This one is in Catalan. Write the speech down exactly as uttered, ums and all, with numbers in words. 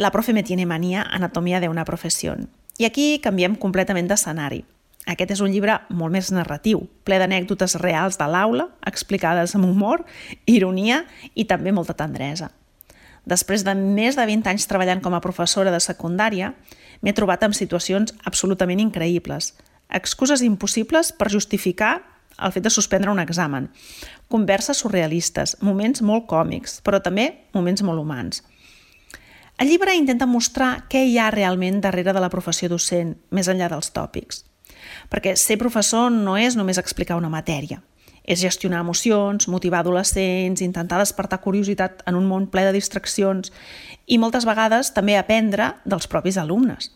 La profe me tiene manía, anatomia de una profesión. I aquí canviem completament d'escenari. Aquest és un llibre molt més narratiu, ple d'anècdotes reals de l'aula, explicades amb humor, ironia i també molta tendresa. Després de més de vint anys treballant com a professora de secundària, m'he trobat en situacions absolutament increïbles, excuses impossibles per justificar el fet de suspendre un examen, converses surrealistes, moments molt còmics, però també moments molt humans. El llibre intenta mostrar què hi ha realment darrere de la professió docent, més enllà dels tòpics. Perquè ser professor no és només explicar una matèria. És gestionar emocions, motivar adolescents, intentar despertar curiositat en un món ple de distraccions i moltes vegades també aprendre dels propis alumnes.